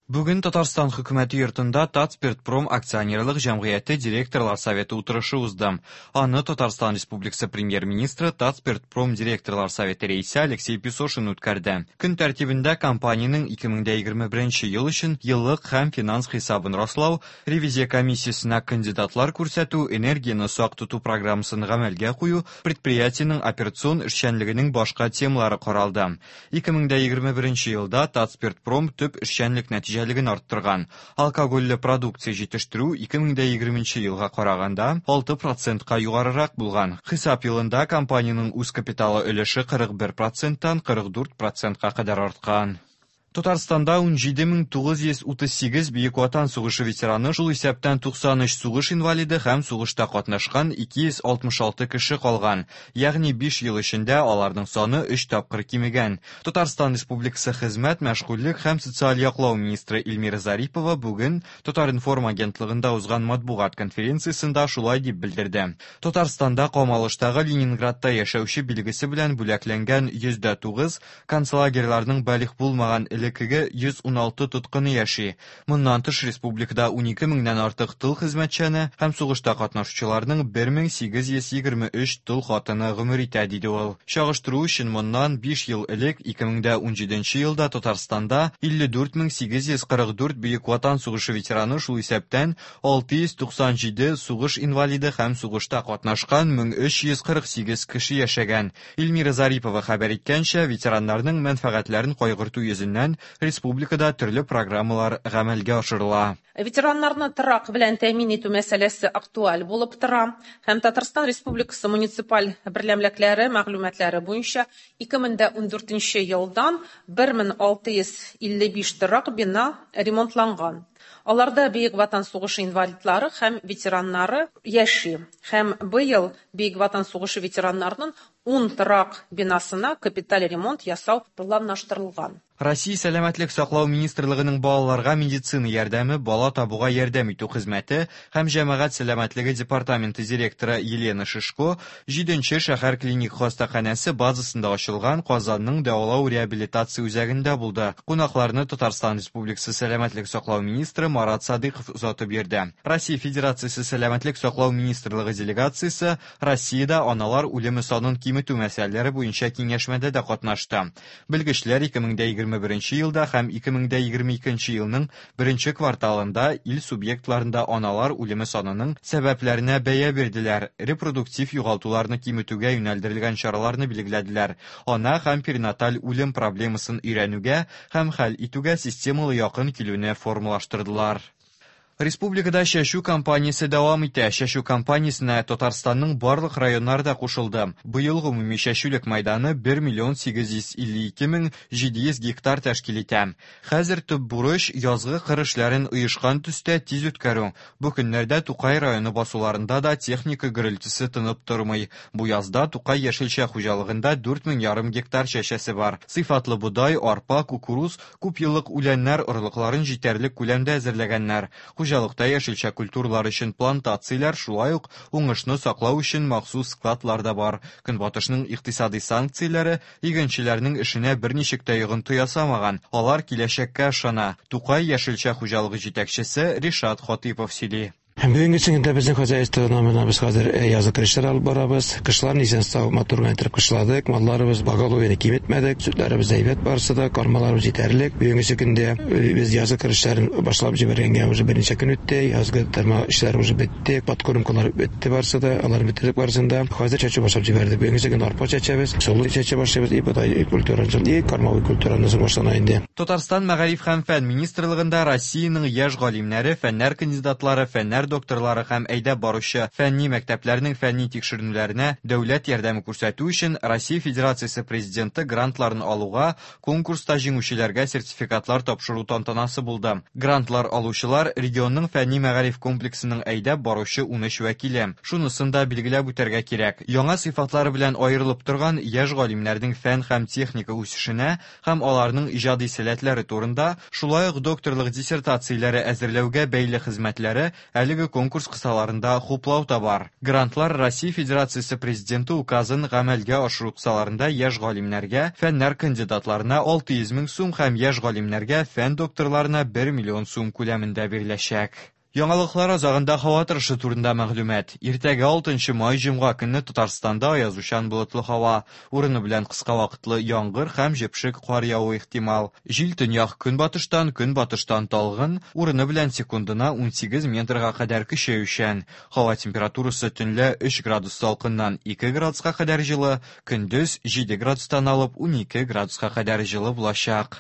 Бүген Татарстан Хөкүмәте йортында Татспиртпром акционерлык җәмгыяте директорлар советы утырышы узды. Аны Татарстан Республикасы Премьер-министры, Татспиртпром директорлар советы рәисе Алексей Песошин үткәрде. Көн тәртибендә компаниянең 2021 ел өчен еллык һәм финанс хисабын раслау, ревизия комиссиясенә кандидатлар күрсәтү, энергияне сак тоту программасын гамәлгә кую, предприятиенең операцион эшчәнлегенең башка темалары каралды. 2021 елда Татспиртпром төп эшчәнлек нәтиҗәлеген арттырган. Алкогольле продукция җитештерү 2020 елга караганда 6 процентка югарырак булган. Хисап елында компаниянең үз капиталы өлеше 41 проценттан 44 процентка кадәр арткан. Татарстанда 17938 Бөек Ватан сугышы ветераны, шул исәптән 93 сугыш инвалиды һәм сугышта катнашкан 266 кеше калган. Ягъни 5 ел эчендә аларның саны 3 тапкыр кимегән. Татарстан Республикасы Хезмәт, мәшгульлек һәм социаль яклау министры Эльмира Зарипова бүген Татар-информ агентлыгында узган матбугат конференциясендә шулай дип белдерде. Татарстанда камалыштагы Ленинградта яшәүче билгесе белән бүләкләнгән 109 концлагерьларның балигъ булмаган элеккеге 116 тоткыны яши. Моннан тыш республикада 12 меңнән артык тыл хезмәтчәне һәм сугышта катнашучыларның 1823 тол хатыны гомер итә, диде ул. Чагыштыру өчен моннан 5 ел элек 2017 елда Татарстанда 54844 Бөек Ватан сугышы ветераны, шул исәптән 697 сугыш инвалиды һәм сугышта катнашкан 1348 кеше яшәгән. Эльмира Зарипова хәбәр иткәнчә, ветераннарның мәнфәгатьләрен кайгырту йөзеннән республикада төрле программалар гамәлгә ашырыла. Ветераннарны торак белән тәэмин итү мәсьәләсе актуаль булып тора һәм Татарстан Республикасы муниципаль берәмлекләре мәгълүматлары буенча 2014 елдан 1655 торак бина ремонтланган. Аларда Бөек Ватан сугышы инвалидлары һәм ветераннары яши. Һәм быел Бөек Ватан сугышы ветераннарының 10 торак бинасына капиталь ремонт ясау планлаштырылган. Россия Сәламәтлек саклау министрлыгының балаларга медицина ярдәме, бала табуга ярдәм итү хезмәте һәм җәмәгать сәламәтлеге департаменты директоры Елена Шишко 7 шәһәр клиник хастаханәсе базасында ачылган Казанның дәвалау реабилитация үзәгендә булды. Кунакларны Татарстан Республикасы сәламәтлек саклау министры Марат Садыйков озатып йөрде. Россия Федерациясе сәламәтлек саклау министрлыгы делегациясе Россиядә аналар үлеме санын киметү мәсьәләләре буенча киңәшмәдә дә катнашты. Белгечләр 2021 елда һәм 2022 елның беренче кварталында ил субъектларында аналар үлеме санының сәбәпләренә бәя бирделәр, репродуктив югалтуларны киметүгә юнәлдерелгән чараларны билгеләделәр, ана һәм перинаталь үлем проблемасын өйрәнүгә һәм хәл итүгә системалы якын килүне формалаштырдылар. Республикада чәчү кампаниясе дәвам итә. Чәчү кампаниясенә Татарстанның барлык районнары да кушылды. Быел гомуми чәчүлек мәйданы 1 миллион 852 мең 700 гектар тәшкил итә. Хәзер төп бурыч язгы кыр эшләрен оешкан төстә тиз үткәрү. Бу көннәрдә Тукай районы басуларында да техника гөрелтесе тынып тормый. Бу язда Тукай яшелчә хуҗалыгында 4,5 гектар чәчәсе бар. Сыйфатлы бодай, арпа, кукуруз, күп еллык үләннәр орлыкларын җитәрлек күләмдә әзерләгәннәр. Хуҗалыкта яшелчә культуралар өчен плантацияләр, шулай ук уңышны саклау өчен махсус складлар да бар. Көнбатышның икътисади санкцияләре игенчеләрнең эшенә берничек тә йогынты ясамаган. Алар киләчәккә ышана. Тукай яшелчә хуҗалыгы җитәкчесе Ришат Хатипов сөйли. Бүгенге көндә безнең хозяйство номерына без хәзер язгы кыр алып барабыз. Кышларын исән сау матур гына итеп кышладык. Малларыбыз поголовьены киметмәдек. Сөтләребез әйбәт барысы да, кормаларыбыз җитәрлек. Бүгенге көндә без язгы кыр эшләрен башлап җибәргәнгә уже берничә көн үтте. Язгы тырма эшләре уже бетте, подкормкалар бетте барысы да, алар бетердек барысын да. Хәзер чәчү башлап җибәрдек. Бүгенге көндә арпа чәчәбез, солы чәчә башлыйбыз, и бодай культурасын, и кормовой культураны башлана инде. Татарстан Мәгариф һәм фән министрлыгында Россиянең яшь галимнәре, фәннәр кандидатлары, фәннәр докторлары һәм әйдәп баручы фәнни мәктәпләрнең фәнни тикшеренүләренә дәүләт ярдәме күрсәтү өчен Россия Федерациясе Президенты грантларын алуга конкурста җиңүчеләргә сертификатлар тапшыру тантанасы булды. Грантлар алучылар регионның фәнни мәгариф комплексының әйдәп баручы 13 вәкиле. Шунысын да билгеләп үтәргә кирәк. Яңа сыйфатлары белән аерылып торган яшь галимнәрнең фән һәм техника үсешенә һәм аларның иҗади сәләтләре турында, шулай ук докторлык диссертацияләре әзерләүгә бәйле хезмәтләре әлеге Әлеге конкурс кысаларында хуплау табар. Грантлар Россия Федерациясе Президенты указын гамәлгә ашыру кысаларында яшь галимнәргә, фәннәр кандидатларына 600 мең сум һәм яшь галимнәргә, фән докторларына 1 миллион сум күләмендә биреләчәк. Яңалыклар азагында һава торышы турында мәгълүмат. Иртәгә 6 май җомга көнне Татарстанда аязучан болытлы һава, урыны белән кыска вакытлы яңгыр һәм җепшек кар явуы ихтимал. Җил төньяк көнбатыштан, көнбатыштан талгын, урыны белән секундына 18 метрга кадәр көчәючән. Һава температурасы төнлә 3 градус салкыннан 2 градуска кадәр җылы, көндез 7 градустан алып 12 градуска кадәр җылы булачак.